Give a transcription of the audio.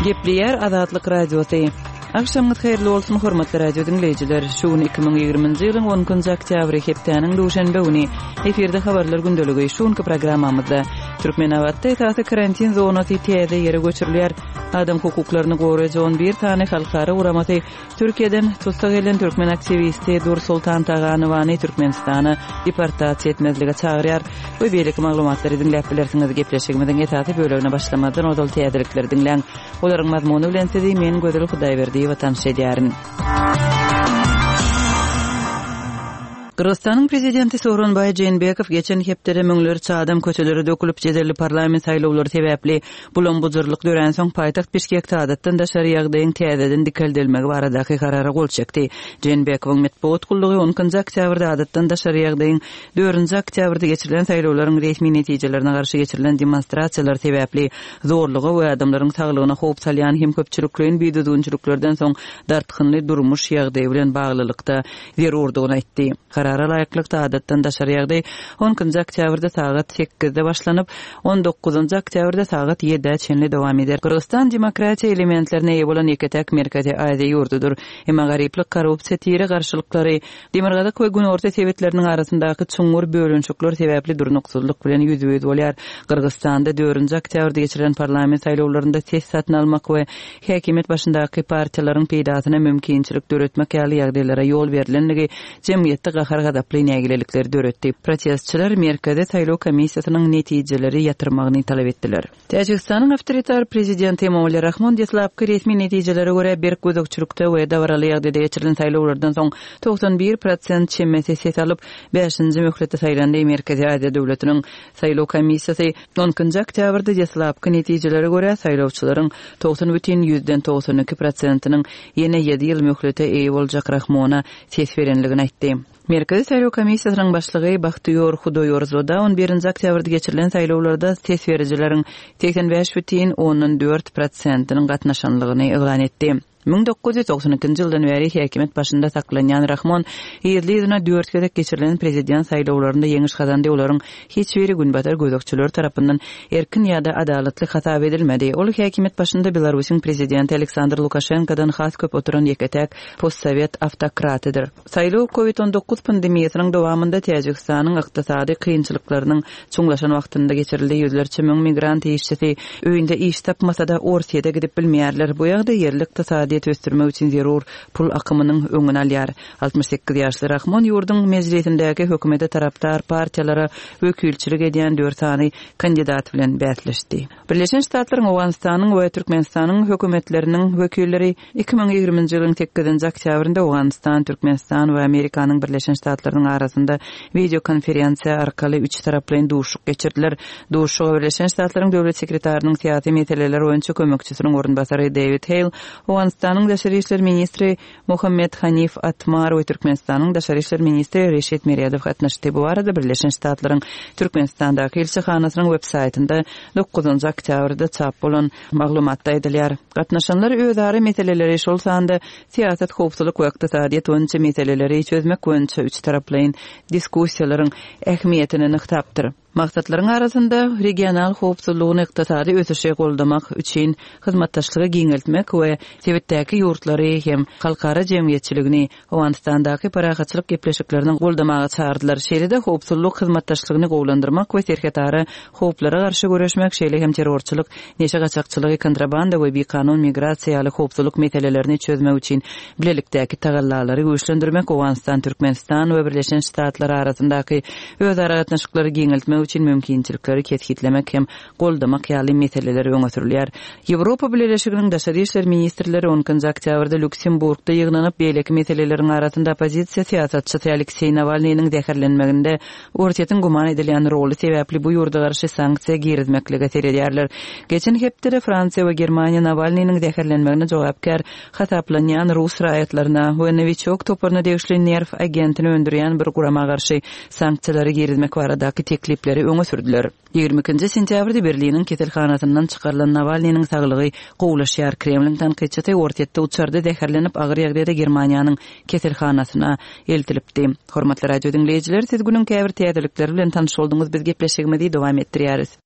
Gepleýär Azatlyk Radiosy. Agşamyňyz haýyrly bolsun, hormatly radio diňleýjiler! Şu gün 2020-nji ýylyň 12-nji oktýabry, hepdäniň duşenbe güni. Efirde habarlar gündeligi. Şu günki programmamyzda Türkmenabatda esasy karantin zonasy täze ýere göçürilýär. Adam hukuklaryny goraýjy 11 sany halkara guramasy Türkiýeden tussag edilen türkmen aktiwisti Dursoltan Taganowany Türkmenistana deportasiýa etmezlige çagyrýar we beýleki maglumatlary diňläp bilersiňiz. Gepleşigimiziň esasy bölegine başlamazdan ozal täzelikleri diňläň. Olaryň mazmuny bilen sizi men Gözel Hudaýberdiýewa tanyş edýärin. Gyrgyzystanyň prezidenti Sooronbaý Jeenbekow geçen hepdede müňlerçe adam köçelere dökülip jedelli parlament saýlawlary sebäpli Bulam-bujurlyk döränsoň, paýtagt Bişkekde adatdan daşary ýagdaýyň täzeden dikeldilmegi baradaky karara gol çekdi. Jeenbekowyň metbugat gullugy on ikinji oktýabrda adatdan daşary ýagdaýyň dördünji oktýabrda geçirilen saýlawlaryň resmi netijelerine garşy geçirilen demonstrasiýalar sebäpli zorluga we adamlaryň saglygyna howp salýan hem köpçülikleýin bidüzgünçiliklerden soň dartgynly durmuş ýagdaýy bilen baglylykda zerurdygyny aýtdy. Karara laýyklykda, adatdan daşary ýagdaý on ikinji oktýabrda sagat sekizde başlanyp, on dokuzynjy oktýabrda sagat ýedä çenli dowam eder. Gyrgyzystan demokratiýa elementlerine eýe bolan ýeke-täk Merkezi Aziýa ýurdudyr. Emma garyplyk, korrupsiýa, tire garşylyklary, demirgazyk we günorta sebitleriniň arasyndaky çuňňur bölünişikler sebäpli durnuksyzlyk bilen ýüzbe-ýüz bolýar. Gyrgyzystanda dördünji oktýabrda geçirilen parlament saýlawlarynda ses satyn almak we häkimiýet başyndaky partiýalaryň peýdasyna mümkinçilik döretmek ýaly ýagdaýlara ýol berlenligi jemgyýetde gahar-gazaply nägilelikleri döretdi. Protestçiler Merkezi saýlaw komissiýasynyň netijeleri ýatyrmagyny talap etdiler. Täjigistanyň awtoritar prezidenti Emomali Rahmon deslapky resmi netijelere görä berk gözegçilikde we dabaraly ýagdaýda geçirilen saýlawlardan soň 91 prosent çemesi ses alyp, bäşinji möhletde saýlandy. Merkezi Aziýa döwletiniň Saýlaw komissiýasy on ikinji oktýabrda deslapky netijelere görä, saýlawçylaryň 90,92 prosentiniň ýene ýedi ýyl möhlete eýe boljak Rahmona ses berenligini aýtdy. Merkezi saýlaw komissiýasynyň başlygy Bahtiýor Hudoýorzoda on birinji oktýabrda geçirilen saýlawlarda ses berijileriň 85,4 prosentiniň gatnaşanlygyny yglan etdi. 1992-nji ýyldan bäri häkimiýet başynda saklanýan Rahmon yzly-yzyna dört gezek geçirilen prezident saýlawlarynda ýeňiş gazandy, olaryň hiç biri günbatar gözegçileri tarapyndan erkin ýa-da adalatly hasap edilmedi. Ol häkimiýet başynda Belarusyň prezidenti Aleksandr Lukaşenkodan has köp oturan ýeke-täk postsowet awtokratydyr. Saýlaw Covid 19 pandemiýasynyň dowamynda Täjigistanyň ykdysady kynçylyklarynyň çuňlaşan wagtynda geçirildi. Ýüzlerçe müň migrant işçisi öýünde iş tapmasa-da, Orsýete gidip bilmeýärler. Bu ýagdaý ýerli ykdysadyýeti ösdürmek üçin zerur pul akymynyň öňüni alýar. 68 ýaşly Rahmon ýurduň mejlisindäki hökümete tarapdar partiýalara wekilçilik edýän dört sany kandidat bilen bäsleşdi. Birleşen Ştatlaryň, Owganystanyň we Türkmenistanyň hökümetleriniň wekilleri 2020-nji ýylyň sekizinji oktýabrynda Owganystan, Türkmenistan we Amerikanyň Birleşen Ştatlarynyň arasynda wideokonferensiýa arkaly üçtaraplaýyn duşuşyk geçirdiler. Duşuşyga Birleşen Ştatlaryň Döwlet sekretarynyň syýasy meseleler boýunça kömekçisiniň orunbasary Dewid Heýl, Owganystanyň daşary işler ministri Mohammed Hanif Atmar we Türkmenistanyň daşary işler ministri Reşit Meredow gatnaşdy. Bu barada Birleşen Ştatlaryň Türkmenistandaky ilçihanasynyň web-saýtynda dokuzynjy oktýabrda çap bolan maglumatda aýdylýar. Gatnaşanlar özara meseleleri, şol sanda syýasat, howpsuzlyk we ykdysadyýet boýunça meseleleri çözmek boýunça üçtaraplaýyn diskussiýalaryň ähmiýetini nygtapdyr. Maksatlaryň arasynda regional howpsuzlygyny, ykdysady ösüşi goldamak üçin hyzmatdaşlygy giňeltmek we sebitdäki ýurtlary hem halkara jemgyýetçiligini Owganystandaky parahatçylyk gepleşiklerini goldamaga çagyrdylar. Şeýle-de howpsuzlyk hyzmatdaşlygyny gowulandyrmak we serhetara howplara garşy göreşmek, şeýle hem terrorçylyk, neşe gaçakçylygy, kontrabanda we bikanun migrasiýa ýaly howpsuzlyk meselelerini çözmek üçin bilelikdäki tagallalary güýçlendirmek Owganystan, Türkmenistan we Birleşen Ştatlar arasyndaky özara gatnaşyklary giňeltmek üçin mümkinçilikleri kesgitlemek hem goldamak ýaly meseleler öňe sürülýär. Ýewropa Bileleşiginiň daşary işler ministrleri on ikinji oktýabrda Lýuksemburgda ýygnanyp, beýleki meseleleriň arasynda oppozisiýa syýasatçysy Alekseý Nawalnynyň zäherlenmeginde Orsýetiň güman edilýän roly sebäpli bu ýurda garşy sanksiýa girizmeklige seredýärler. Geçen hepdede Fransiýa we Germaniýa Nawalnynyň zäherlenmegine jogapkär hasaplanýan rus raýatlaryna we Nowiçok toparyna degişli nerw agentini öndürýän bir gurama garşy sanksiýalary girizmek baradaky teklipleri öňe sürdüler. 22-nji sentýabrda Berliniň keselhanasyndan çykarylan Nawalnynyň saglygy gowulaşýar. Kremliň tankytçysy Orsýetde uçarda zäherlenip, agyr ýagdaýda Germaniýanyň keselhanasyna eltilipdi. Hormatly radio diňleýjiler, siz günüň käbir täzelikleri bilen tanyş bolduňyz, biz gepleşigimizi dowam etdirýäris.